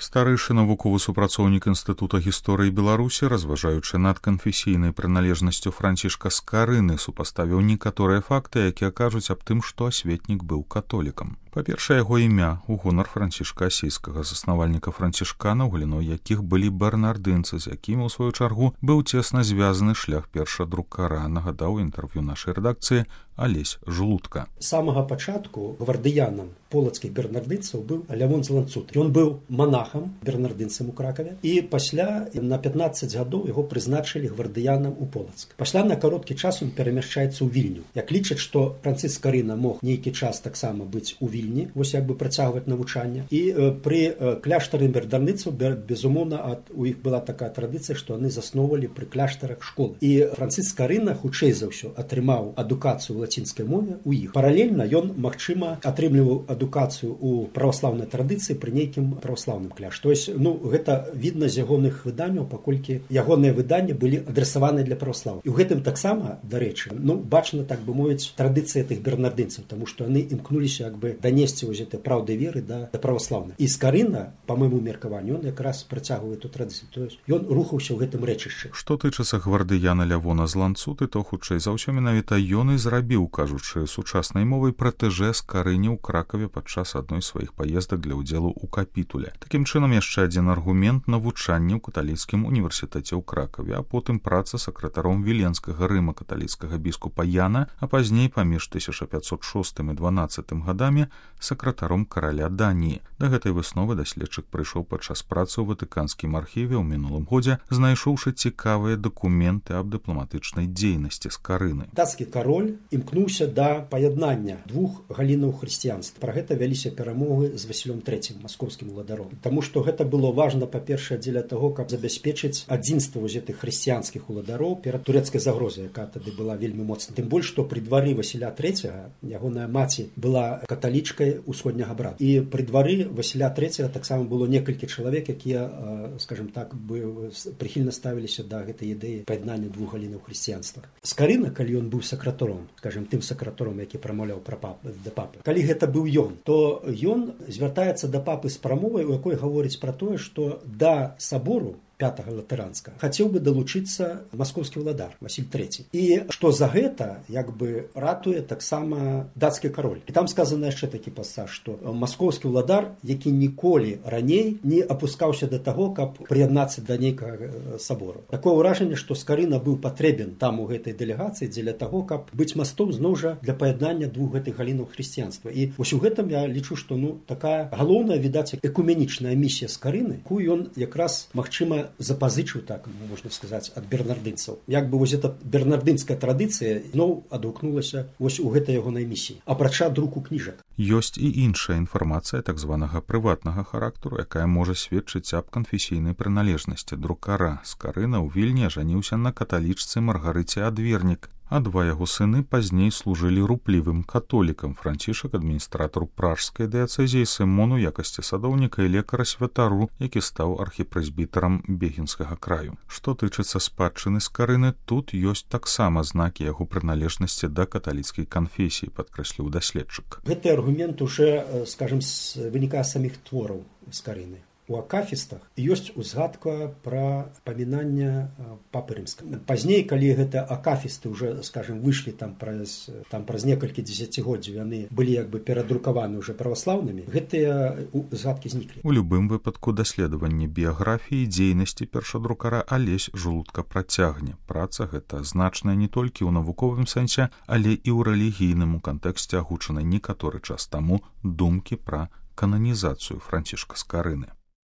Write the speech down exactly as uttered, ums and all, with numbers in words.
Старэйшы навуковы супрацоўнік Інстытута гісторыі Беларусі, разважаючы над канфесійнай прыналежнасцю Францішка Скарыны, супаставіў некаторыя факты, якія кажуць аб тым, што асветнік быў католікам. Па-першае, яго імя ў гонар Францішка Асійскага, заснавальніка францішканаў, галіной якіх былі бернардынцы, з якімі, у сваю чаргу, быў цесна звязаны шлях першадрукара, нагадаў інтэрв'ю нашай рэдакцыі Алесь Жлудка. З самага пачатку гвардыянам полацкіх бернардынцаў быў Лявон з Ланцуты. Ён быў манахам, бернардынцам у Кракаве, і пасля на пятнаццаць гадоў яго прызначылі гвардыянам у Полацк. Пасля на кароткі час ён перамяшчаецца ў Вільню. Як лічаць, што Францыск Скарына мог нейкі час таксама быць у Вільні, вось як бы працягваць навучанне. І э, пры э, кляштары бернардынцаў, безумоўна, ад, у іх была такая традыцыя, што яны засноўвалі пры кляштарах школы. І Францыск Скарына, хутчэй за ўсё, атрымаў адукацыю ў лацінскай мове ў іх. Паралельна ён, магчыма, атрымліваў адукацыю ў праваслаўнай традыцыі пры нейкім праваслаўным кляштары. То есть, ну, гэта відна з ягоных выданняў, паколькі ягоныя выданні былі адрасаваны для праваслаўя. І ў гэтым таксама, дарэчы, ну, бачна, так бы мовіць, традыцыя тых бернардынцаў, таму што яны імкнуліся як бы данесці вось гэтай праўды веры да, да праваслаўнай. І Скарына, па майму меркаванню, ён якраз працягвае эту традыцыю. То есть, ён рухаўся ў гэтым рэчышчы. Што тычыцца гвардыяна Лявона з Ланцуты, то хутчэй за ўсё менавіта ён і зрабіў, кажучы сучаснай мовай, пратэжэ Скарыне ў Кракаве падчас адной з сваіх паездак для ўдзелу ў капітуле. Такім чынам, яшчэ адзін аргумент навучання ў каталіцкім універсітэце ў Кракаве, а потым праца сакратаром Віленскага рыма-каталіцкага біскупа Яна, а пазней паміж тысяча пятьсот шостым і дванаццатым гадамі сакратаром караля Даніі. Да гэтай высновы даследчык прыйшоў падчас працы ў ватыканскім архіве ў мінулым годзе, знайшоўшы цікавыя дакументы аб дыпламатычнай дзейнасці Скарыны. Дацкі кароль імкнуўся да паяднання двух галінаў хрысціянства. Пра гэта вяліся перамовы з Васілём трэцім, маскоўскім уладаром. Таму што гэта было важна, па-першае, дзеля таго, каб забяспечыць адзінства вось гэтых хрысціянскіх уладароў перад турэцкай загрозай, якая тады была вельмі моцна. Тым больш, што пры двары Васіля трэцяга ягоная маці была каталічкай усходняга брата. І пры двары Васіля трэцяга таксама было некалькі чалавек, якія, скажем так, бы прыхільна ставіліся да гэтай ідэі паяднання двух галінаў хрысціянства. Скарына, калі ён быў сакратаром, скажем, тым сакратаром, які прамаўляў пра папы, да папы, калі гэта быў ён, то ён звяртаецца да папы з прамовай, у якой гаворыць пра тое, што да сабору пятага латаранскага хацеў бы далучыцца маскоўскі ўладар Васіль трэці. І што за гэта як бы ратуе таксама дацкі кароль. І там сказана яшчэ такі пасаж, што маскоўскі ўладар, які ніколі раней не апускаўся да таго, каб прыяднацца да нейкага сабору. Такое ўражанне, што Скарына быў патрэбен там у гэтай дэлегацыі дзеля таго, каб быць мастом зноў жа для паяднання двух гэтых галінаў хрысціянства. І вось у гэтым я лічу, што ну такая галоўная, відаць, экуменічная місія Скарыны, якую ён якраз, магчыма, запазычыў, так можна сказаць, ад бернардынцаў. Як бы вось эта бернардынская традыцыя зноў адгукнулася вось у гэтай ягонай місіі, апрача друку кніжак. Ёсць і іншая інфармацыя так званага прыватнага характару, якая можа сведчыць аб канфесійнай прыналежнасці друкара. Скарына ў Вільні ажаніўся на каталічцы Маргарыце Адвернік, а два яго сыны пазней служылі руплівым католікам. Францішак адміністратару пражскай дыяцэзіі, Сымон у якасці садоўніка і лекара святару, які стаў архіпрэзбітарам Бегінскага краю. Што тычыцца спадчыны Скарыны, тут ёсць таксама знакі яго прыналежнасці да каталіцкай канфесіі, падкрэсліў даследчык. Гэты аргумент уже, скажем, вынікае з саміх твораў Скарыны. У акафістах ёсць узгадка пра памінання папы рымскага. Пазней, калі гэта акафісты уже, скажем, выйшлі там праз, там праз некалькі дзесяцігоддзяў, яны былі як бы перадрукаваны уже праваслаўнымі, гэтыя узгадкі зніклі. У любым выпадку даследаванне біяграфіі дзейнасці першадрукара Алесь Жлудка працягне. Праца гэта значная не толькі ў навуковым сэнсе, але і ў рэлігійным у кантэксце агучанай некаторы час таму думкі пра кананізацыю Францішка Скарыны.